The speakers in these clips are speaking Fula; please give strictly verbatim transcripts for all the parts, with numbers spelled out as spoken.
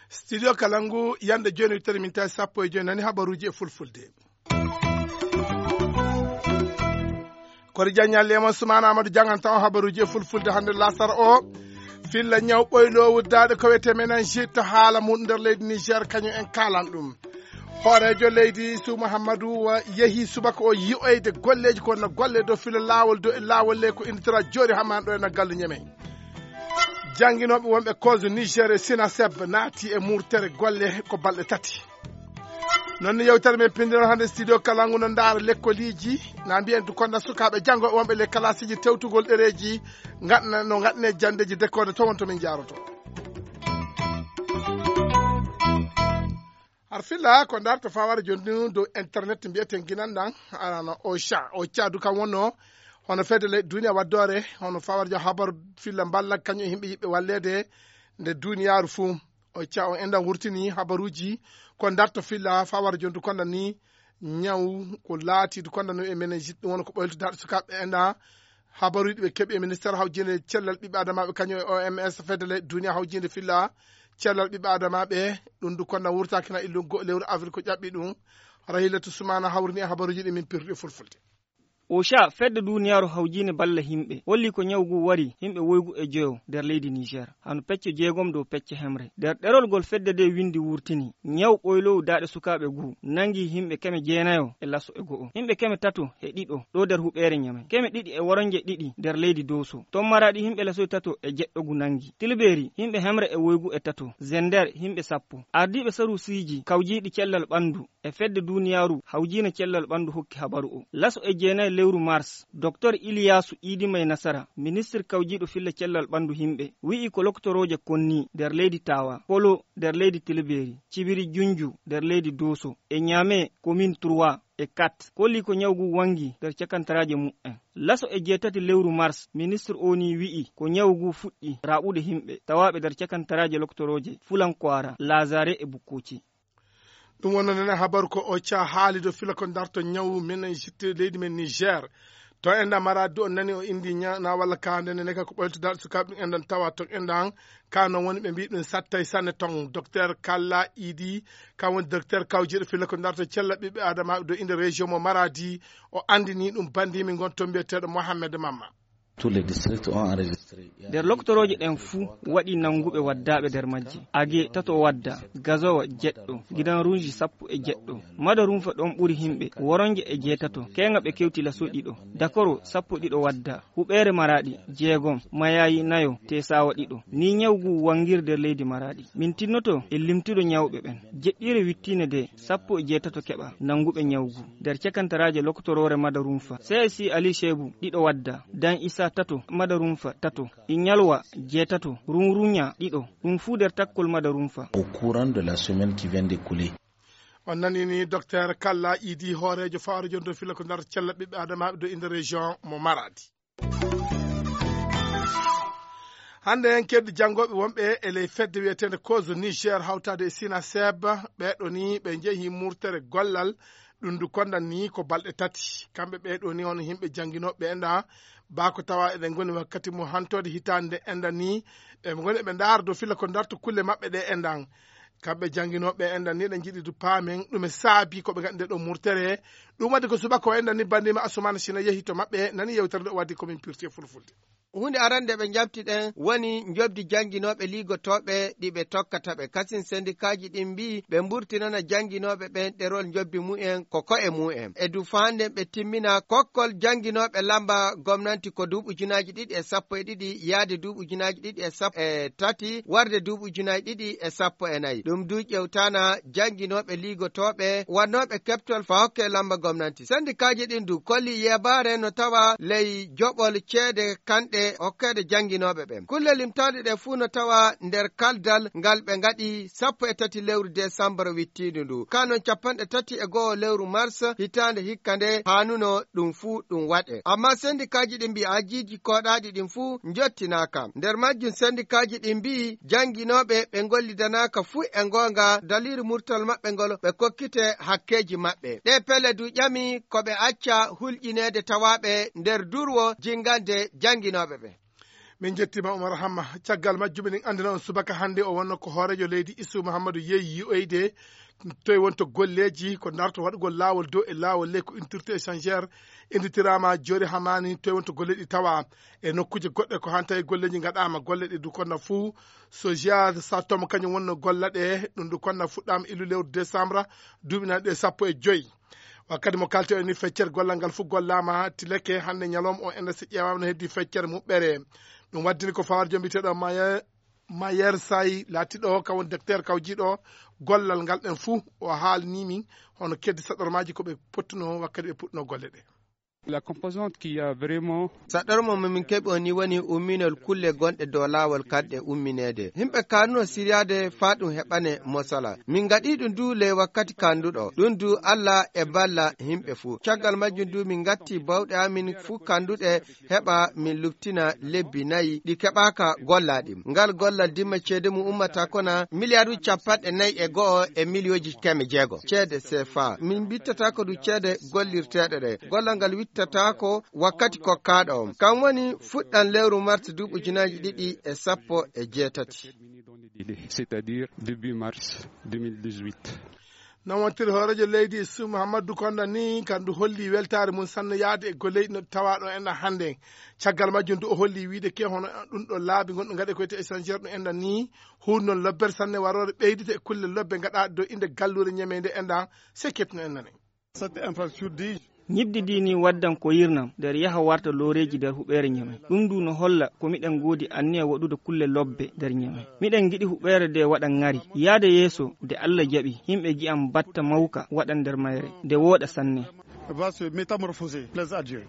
Studio Kalangu, yande jooni, wittere min tawi sappo e jooni, nani habaruuji e fulfulde. Kori Diagne, Léman Soumana Amadou janganta on habaruuji e fulfulde hannde lasara o. Filla ñaw ɓoyloowu daaɗe ko wiyetee meningite, haala mum nder leydi Niger, kañum en kaalan ɗum. Hooreejo leydi Sou Mouhamadou, uh, yehi subaka o yi'oyde golleeji ko no golle dow filo laawol, dow e laawol le ko innditora jooɗi hamman ɗo e no gallu Ñemey. Jannginooɓe wonɓe Kozo Niger e Sinaseb naati e murtere golle ko balɗe tati. Noon ni yewtere men pinndinol hannde studio Kalangu no ndaara lekkoliiji, na mbiyen du konda sukaaɓe janngooɓe wonɓe le kalaasiiji tewtugol ɗereeji, ngaɗna, no ngaɗne janndeeji dekkoode to won to min njaaroto. Har filla ko ndarto fawara joni dow internet mbiyeten ginan ɗan, arano Ocha. Ocha du kam wonno hono fedde leyɗe duniya waddore, hono fawara jo habaru filla mballa kañum e yimɓe yiɓɓe walleede nde duniyaaru fuu. Ocha o enɗan wurtini habaruuji ko ndarto filla fawara joni du konda ni ñaw ko laati du konda no e menen jiɗɗo wona ko ɓoylto darɗe sukaaɓe enɗan habaruuji ɓe keɓi e ministère hawjinde cellal ɓiɓɓe adamaaɓe kañum e O M S fedde leyɗe duniya hawjinde filla cellal ɓiɓɓe adamaaɓe. Ɗum du konda wurtaaki na illu go-, lewru avril ko ƴaɓɓi ɗum. Rahilatu Sumana hawrini e habaruuji ɗi min pirɗi fulfulde. Ocha, fedde duniyaaru hawjinde balla himɓe, holli ko ñaw ngu wari himɓe woygu e joyo nder leydi Niger, hano pecce jeegom dow pecce hemre. Nder ɗerol ngol fedde nde windi wurtini, ñaw ɓoyloowu daaɗe sukaaɓe ngu nangi himɓe keme jeenayo e laso e go'o, himɓe keme tato e ɗiɗo ɗo nder huɓeere Ñame, keme ɗiɗi e woronje ɗiɗi nder leydi Doso. Ton Maraɗi himɓe lasoy tato e jeɗɗo ngu nangi. Tilberi himɓe hemre e woygu e tato. Zender himɓe sappo. Ardiiɓe saruusiiji kawjiiɗi cellal ɓandu e fedde duniyaaru hawjiina cellal ɓandu hokki habaru o. Laso e jeenayi lewru mars, Doktor Iliyaasu Iidi May Nasara, ministir kawjiiɗo filla cellal ɓandu himɓe, wi'i ko lokotorooje konni nder leydi Tawa, Kolo nder leydi Tilberi, Cibiri Junju nder leydi Doso, e Ñame komin trois e quatre, kolli ko ñaw ngu wangi nder cakantaraaje mu'en. Laso e jeetati lewru mars, ministir o ni wi'i ko ñaw ngu fuɗɗi raɓude himɓe tawaaɓe nder cakantaraaje lokotorooje Fulankwara, Lazare e Bukkoci. Ɗum wonno nen habaru ko Ocha haali dow fila ko darto ñawu meningite leydi men Niger. To enɗan Maradi on nani o indi ña-, na walla ka nde nene ka ko ɓoylto darɗe sukaaɓe ɗum enɗan tawa to enɗan ka non woni ɓe mbi ɗum sattay sanne ton. Docteur Kalla Idi, kan woni docteur kawjiiɗo fila ko darto cella ɓiɓɓe adamaaɓe dow inde région mo Maradi, o andini ɗum bandimi ngon to mbiyeteeɗo Mohamed Mamma. Tous les districts ont enregistré. Nder lokotorooje ɗen fuu waɗi nannguɓe waddaaɓe nder majje. Age tato wadda, Gazowa jeɗɗo, Gidan Runji sappo e jeɗɗo. Madarunfa ɗon ɓuri himɓe, Woronje e jeetato, Keeŋa ɓe kewti laso ɗiɗo. Dakoro sappo ɗiɗo wadda, Huɓeere Maraɗi jeegom, Mayayi nayo, Tesawa ɗiɗo. Ni ñaw ngu wangir nder leydi Maraɗi. Min tinnoto e limtude ñawɓe ɓen. Jeɗɗiire wittiinde nde, sappo e jeetato keɓa nannguɓe ñaw ngu. Nder cakantaraaje lokotoroore Madarunfa, C S I Ali Shebu ɗiɗo wadda, Dan Isa tato, Madarunfa tato, Inyalwa jeetato, Runrunya ɗiɗo, ɗum fuu nder takkol Madarunfa. Au courant de la semaine qui vient d'écouler. On nani ni Docteur Kalla Idi, hooreejo fawre jonto fila ko nder cella ɓiɓɓe adamaaɓe do inde région mo Maradi. Hannde en keddi janngooɓe wonɓe e ley fedde wiyeteende Kozo Niger hawtaade e Sina Seb, ɓeeɗo ni ɓe njehi murtere gollal, ɗum ndu kondan ni ko balɗe tati. Kamɓe ɓeeɗo ni hono yimɓe jannginooɓe enɗan, baa ko tawa eɗen ngoni wakkati mo hantoode hitaande nde enɗan ni, ɓe ngoni ɓe ndaara dow fila ko ndarto kulle maɓɓe ɗe enɗan. Kamɓe jannginooɓe enɗan ni ɗe njiɗi du paamen ɗume saabi ko ɓe ngaɗi nde ɗo murtere. Ɗum waɗi ko subaka o enɗan ni banndima Asumana Sina yehi to maɓɓe, nani yewtere nde o waddi ko min pirti e fulfulde. Huunde arande ɓe njaɓti ɗen woni njoɓdi jannginooɓe liigotooɓe ɗi ɓe tokkata ɓe. Kasin sendikaaji ɗin mbii ɓe mburtinana jannginooɓe ɓen ɗerol njoɓdi mumen ko ko'e mumen. E du faanden ɓe timmina kokkol jannginooɓe lamba gomnanti ko duuɓi ujunaaji ɗiɗi e sappo e ɗiɗi yaade duuɓi ujunaaji ɗiɗi e sappo e tati warde duuɓi ujunaaji ɗiɗi e sappo e nayi. Ɗum du ƴewtana jannginooɓe liigotooɓe wannooɓe keɓtol faa hokke lamba gomnanti. Sendikaaji ɗin du kolli yeebaare no tawa ley joɓol ceede kanɗe e hokkeede jannginooɓe ɓen. Kulle limtaaɗe ɗe fuu no tawa nder kaldal ngal ɓe ngaɗi sappo e tati lewru desambara wittiindu ndu. Kaa non capanɗe tati e go'o lewru mars hitaande hikka nde haanuno ɗum fuu ɗum waɗe. Ammaa sendikaaji ɗin mbi'i ajiiji kooɗaaɗi ɗin fuu njottinaaka. Nder majjum sendikaaji ɗin mbi'i jannginooɓe ɓe ngollidanaaka fuu e ngoonga daliiru murtal maɓɓe ngol ɓe kokkite hakkeeji maɓɓe. Ɗee pelle du ƴami ko ɓe acca hulƴineede tawaaɓe nder durwo jingande jannginooɓe ɓe. Min njettiima Umar Hamma. Caggal majjum eɗen anndina on subaka hannde o wonno ko hooreejo leydi Isu Muhammadu yeeyi yi'oyde toye wonto golleeji ko darto waɗugol laawol dow e laawol ley ko unité échangère innditiraama Joori Hamani toye wonto golleeji ɗi tawa e nokkuuje goɗɗe ko hannta e golleeji ngaɗaama golle ɗi du konna fuu. Sojiya Satom kañum wonno golla ɗe ɗum du konna fuɗɗaama illu lewru desambra duuɓi nayi ɗe sappo e joyi. Wakkati mo kalten ni feccere gollal ngal fof gollaama tileke hannde ñalawma o enda si ƴeewaama no heddi feccere muɓɓere. Ɗum waddini ko fawar jom biteɗo mayer mayer say laatiɗo kaw docteur kawjiɗo gollal ngal ɗen fuu o haalni min hono keddi saɗormaaji ko ɓe pottuno wakkati ɓe puɗɗuno golle ɗe. La composante qui a vraiment saɗormo mo min keɓi o ni woni umminol kulle gonɗe dow laawol kanɗe ummineede. Yimɓe kaanuno siryaade faa ɗum heɓane mosala. Min ngaɗii ɗum du ley wakkati kanduɗo. Ɗum du Alla e balla yimɓe fuu. Caggal majjum du min ngatti bawɗe amin fuu kanduɗe heɓa min luttina lebbi nayi ɗi keɓaaka gollaaɗi. Ngal gollal dimma ceede mum ummata kona miliyaaruuji capanɗe nayi e go'o e miliyooji keme jeego ceede sefa. Min mbittata ko du ceede gollirteeɗe ɗe. Gollal ngal wittata ko wakkati kokkaaɗo on. Kan woni fuɗɗan lewru mars duuɓi ujunaaji ɗiɗi e sappo e jeetati. C'est-à-dire début mars deux mille dix-huit. Non wontiri hooreejo leydi Isu Muhammadu Konda ni kandu holli weltaare mum sanne yaade e golleeji no tawaaɗo en hannde. Caggal majjum du o holli wiide ke hono ɗum ɗo laabi gonɗo ngaɗe ko wiyete échangeur ɗum enɗan ni huur noon lobbere sanne waroore ɓeydita e kulle lobbe ngaɗaaɗe dow innde galluure ñemeynde enɗan se ketno en nane. Cette infrastructure dit Ñiɓdi ndi ni waddan ko yirnam nder yaha warta looreeji nder huɓeere Ñamey. Ɗum du no holla ko miɗen ngoodi anniya waɗude kulle lobbe nder Ñamey. Miɗen ngiɗi huɓeere nde waɗa ŋari. Yaade yeeso, nde Alla jaɓi, yimɓe ngi'an batta mawka waɗan nder mayre, nde wooɗa sanne. Va se métamorphoser, plaise à Dieu.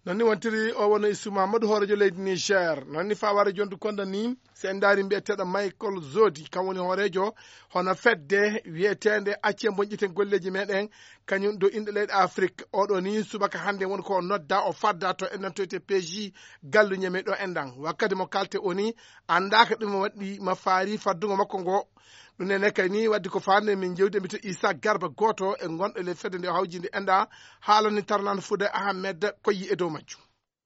Non ni wontiri o wonno Isu Mamadou hooreejo leydi Niger. Non ni faa wara jontu konda ni, si en ndaari mbiyeteeɗo Michael Zodi, kam woni hooreejo hono fedde wiyeteende Accee Mboñƴiten Golleeji Meeɗen, kañum dow inɗe leyɗe Afrik. Oɗo ni subaka hannde woni ko o nodda, o fadda to enɗan to wiyetee P J gallu Ñamey ɗo enɗan. Wakkati mo kalte o ni, anndaaka ɗum waɗi ma faari faddugo makko ngo. Ɗum nene kay ni wadde ko faande min jewde mbito Issa Garba gooto e gonɗo e ley fedde nde o hawjinde enɗa haalani Tarnan Fouda Ahmed ko yi e dow majjum.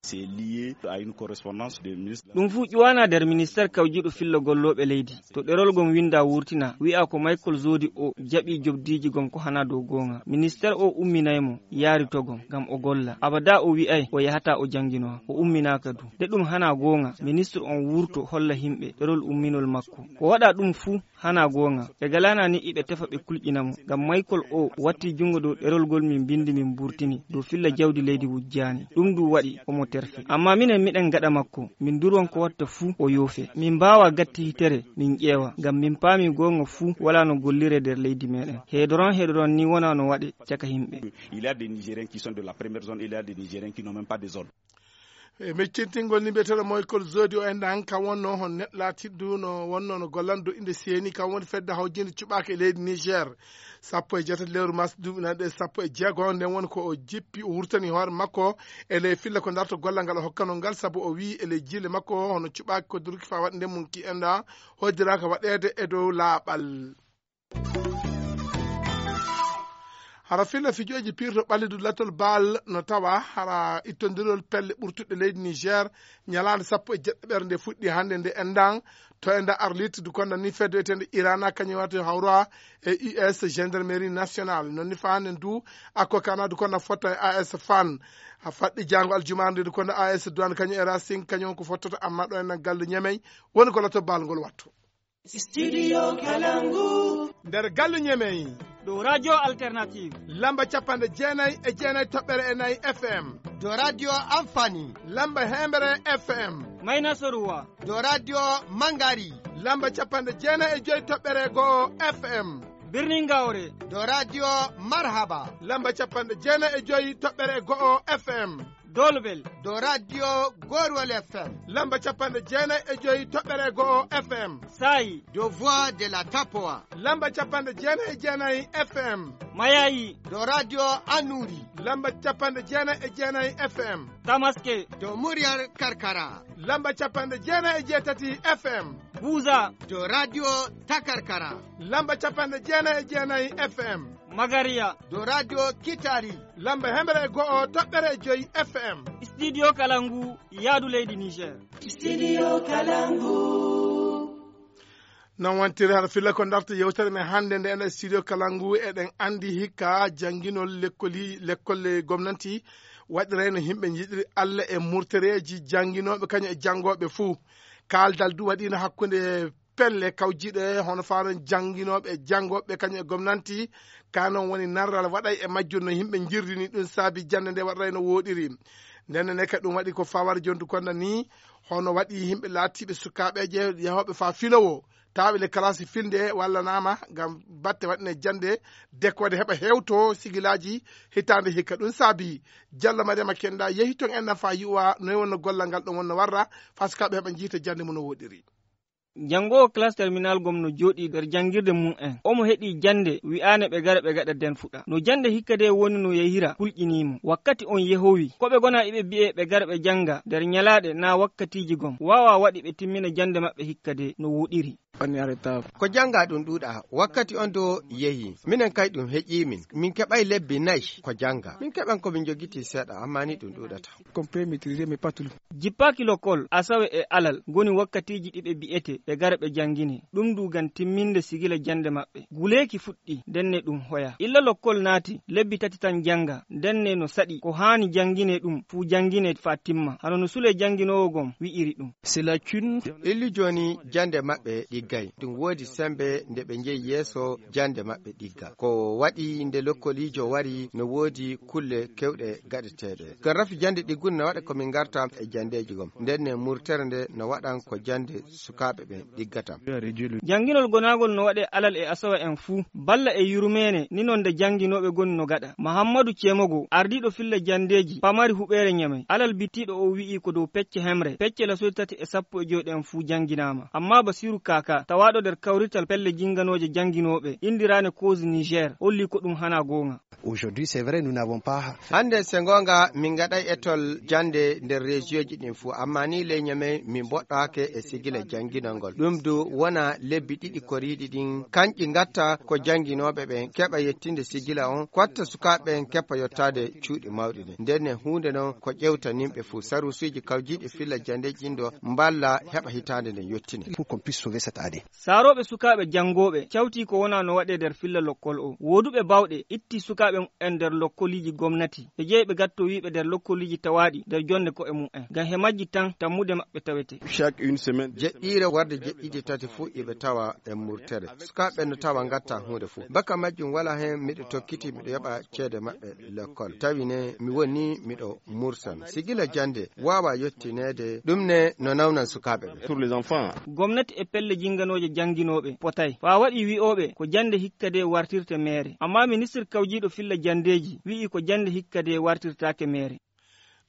C'est lié à une correspondance de ministre. Ɗum fuu ƴuwaanaa nder ministeer kawjiiɗo fillo gollooɓe leydi. To ɗerol gom winndaa wuurtinaa, wi'aa ko Michael Zodi o jaɓii jobdiiji gom ko hanaa dow goonga. Ministeer o umminay mo, yaari to gom, ngam o golla. Abadaa o wi'ay o yahataa o jannginowa, o umminaaka du. Nde ɗum hanaa goonga, ministre on wuurto holla himɓe ɗerol umminol makko. Ko waɗaa ɗum fuu, hanaa goonga. Ɓe galaana ni iɓe tefa ɓe kulƴina mo. Ngam Michael o watti junngo dow ɗerol ngol min mbinndi min mburtini dow filla jawdi leydi wujjaani. Ɗum du waɗi omo terfi. Ammaa minen miɗen gaɗa makko. Min nduron ko watta fuu o yoofe. Min mbaawaa gatti hitere min ƴeewa. Ngam min paami goonga fuu walaa no golliree nder leydi meeɗen. Heedoron heedoron ni wonaa no waɗe caka yimɓe. Il y a des Nigériens qui sont de la première zone, il y a des Nigériens qui n'ont même pas de zone. E meccintingol ni mbiyeteeɗo Michael Zodi o enɗan kam wonno hon neɗɗo laatiɗo no wonno no gollanɗo innde seeni kam woni fedde hawjinde cuɓaaka e leydi Niger. Sappo e jeetati lewru mars duuɓi nana ɗe sappo e jeego nden woni ko o jippi o wurtani hoore makko e ley filla ko darto gollal ngal o hokkano ngal sabu o wii e ley jiile makko hono cuɓaaki ko durki faa waɗi nden mum ki enɗa hoddiraaka waɗeede e dow laaɓal. Hara filla fijooji pirto ɓallidu lattol baal no tawa hara ittondirol pelle ɓurtuɗe leydi Niger ñalaande sappo e jeɗɗo ɓere nde fuɗɗi hannde nde enɗan to enɗa Arlit du konda ni fedde wiyetende Irana kañum wata hawra e U S gendarmerie nationale non ni fa hannde du akko kana du konda fotta e A S fan a faɗɗi jaango aljumaare nde du konda A S douane kañum e Racing kañum ko fottata amma ɗo enɗan galle Ñamey woni ko lattol baal ngol wattu. Studio Kalangu. Nder galle Ñamey. Ɗo Radio Alternative. Lamba capanɗe jeenayi e jeenayi toɓɓere e nayi F M. Ɗo Radio Amfani. Lamba heembere F M. Mayna Soruwa. Ɗo Radio Mangari. Lamba capanɗe jeenayi e joyi toɓɓere go'o F M. Birnin Gawre. Ɗo Radio Marhaba. Lamba capanɗe jeenayi e joyi toɓɓere go'o F M. Dolbel. Dow radio Gorwol F M. Lamba capanɗe jeenayi e joyi toɓɓere go'o F M. Saayi. Dow Voix de la Tapowa. Lamba capanɗe jeenayi e jeenayi F M. Mayayi. Dow radio Anuri. Lamba capanɗe jeenayi e jeenayi F M. Tamaske. Dow Muryar Karkara. Lamba capanɗe jeenayi e jeetati F M. Buza. Dow radio Takarkara. Lamba capanɗe jeenayi e jeenayi F M. Magariya. Dow radio Kitari. Lamba hemre e go'o toɓɓere e joyi F M. Studio Kalangu, yaadu leydi Niger. Studio Kalangu. Non wonti hara filla ko darta yewtere men hannde nde ene studio Kalangu. Eɗen anndi hikka jannginol lekkoli, lekkolle gomnanti waɗirayno yimɓe njiɗiri Allah e murtereeji jannginooɓe kañum e janngooɓe fuu. Kaaldal du waɗiino hakkunde pelle kawjiɗe hono faaron jannginooɓe e janngooɓe kañum e gomnanti. Ka non woni narral waɗay e majjum no yimɓe njirdini ɗum saabi jannde nde waɗray no wooɗiri. Nden ne ka ɗum waɗi ko fawar jontu konda ni hono waɗi yimɓe laatiiɓe sukaaɓeeje yahooɓe faa filowo taaɓe le kalasi filnde walla naama ngam batte waɗine jannde dekkoode heɓa hewto sigilaaji hitaande hikka. Ɗum saabi Jallo Mariama Kenda yehi toon en nan faa yi'uwa noy wonno gollal ngal ɗum wonno warra faa sukaaɓe heɓa njiita jannde mum no woɗiri. Janngoowo classe terminal gom no jooɗii nder janngirde mum en. Omo heɗii jannde wi'aane ɓe gara ɓe gaɗa den fuɗa. No jannde hikka de woni no yehira kulƴinii mo. Wakkati on yehowi. Ko ɓe gona iɓe bi'e ɓe gara ɓe jannga nder nyalaaɗe naa wakkatiiji gom. Waawaa waɗi ɓe timmina jannde maɓɓe hikka de no woɗiri. On est en retard. Ko jannga ɗum ɗuuɗa. Wakkati on do yehi. Minen kay ɗum heƴii min. Min keɓay lebbi nayi ko jannga. Min keɓan ko min jogiti seeɗa, amma ni ɗum ɗuuɗata. Compris, maîtrisé, mais pas tout. Jippaaki lokol, asawe e alal, ngoni wakkatiiji ɗi ɓe bi'ete ɓe gara ɓe janngine. Ɗum du ngam timminde sigila jannde maɓɓe. Guleeki fuɗɗi, ndenne ɗum hoya. Illa lokol naati, lebbi tati tan jannga, ndenne no saɗi ko haani janngine ɗum, fuu janngine faa timma. Hano no Sule jannginoowo gom wi'iri ɗum. C'est lacune. Illi jooni jannde maɓɓe ɗiggay. Ɗum woodi sembe nde ɓe njeyi yeeso jannde maɓɓe ɗigga. Ko waɗi nde lokkoliijo wari no woodi kulle kewɗe gaɗeteeɗe. Ngam rafi jannde ɗiggunde no waɗa ko min ngarta e janndeeji gom. Nden ne murtere nde no waɗan ko jannde sukaaɓe ɓen ɗiggata. Jannginol gonaagol no waɗee alal e asawa en fuu. Balla e yurmeene ni non nde jannginooɓe goni no gaɗa. Mahammadu Cemogo, ardiiɗo filla janndeeji pamari huɓeere Ñamey. Alal bittiiɗo o wi'i ko dow pecce hemre, pecce lasoy tati e sappo e joy ɗen fuu jannginaama. Amma Basiiru Kaaka, tawaaɗo nder kawrital pelle jinnganooje jannginooɓe, inndiraaɗe Cause Niger, holli ko ɗum hanaa goonga. Aujourd'hui, c'est vrai, nous n'avons pas. Hannde, se ngoonga, min ngaɗay etol jannde nder rejiyoji ɗin fuu, amma ni ley Ñamey min mboɗɗaake e sigila jannginol ngol. Ɗum du wona lebbi ɗiɗi koriiɗi ɗin, kanƴi ngatta ko jannginooɓe ɓen keɓa yettinde sigila on, ko watta sukaaɓe ɓen keppa yottaade cuuɗi mawɗi ɗin. Nden ne huunde non ko ƴewtaninɓe fuu, saruusuuji kawjiiɗi filla janndeeji ɗin ɗo mballa heɓa hitaande nden yottine. Pour qu'on puisse sauver cette année. Saarooɓe sukaaɓe janngooɓe cawtii ko wonaa no waɗee nder filla lokkol o. Wooduɓe baawɗe ittii sukaaɓe mumen nder lokkoliiji gomnati. Ɓe jeyi ɓe gattoo wi'ɓe nder lokkoliiji tawaaɗi nder jonnde ko'e mumen. Ngam he majji tan tammude maɓɓe tawetee. Chaque une semaine. Jeɗɗiire warde jeɗɗiɗi tati fuu iɓe tawa e murtere. Sukaaɓe no tawa ngatta huunde fuu. Baka majjum walaa heen miɗo tokkiti miɗo yoɓa ceede maɓɓe lekkol. Tawi ne mi woni miɗo mursan. Sigila jannde waawaa yottineede. Ɗum ne no nawnan sukaaɓe ɓe. Pour les enfants. Gomnati e pelle jinnganooje jannginooɓe potay. Faa waɗi wi'ooɓe ko jannde hikka de wartirte meere. Amma ministir kawjiiɗo filla janndeeji wi'i ko jannde hikka de wartirtaake meere.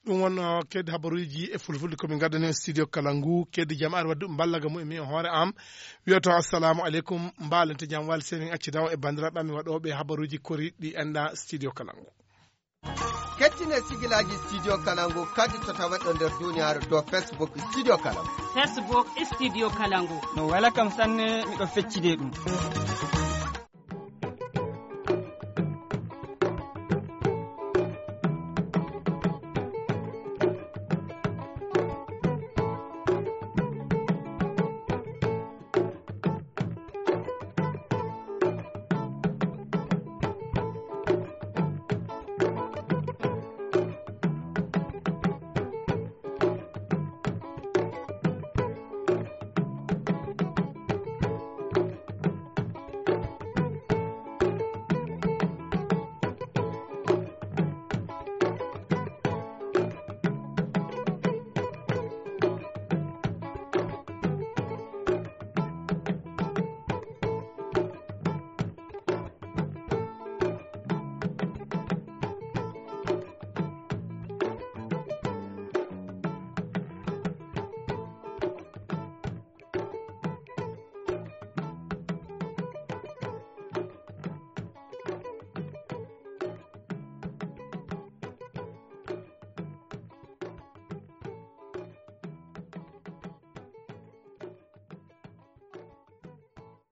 Ɗum wonno keddi habaruuji e fulfulde ko min ngaddani on studio kala ngu. Keddi jam ari wadde ɗum mballa ga mumen e hoore am. Wiyoto assalamu aleykum, mbaalente jam wal seni accidan e banndiraaɓe amin waɗooɓe habaruuji koriiɗi ɗi enda studio kala ngu. Kettine sigilaaji studio kala ngu kadi to taweɗo nder duniyaaru dow Facebook studio kala ngu. Facebook studio kala ngu. No wela kam sanne miɗo feccide ɗum.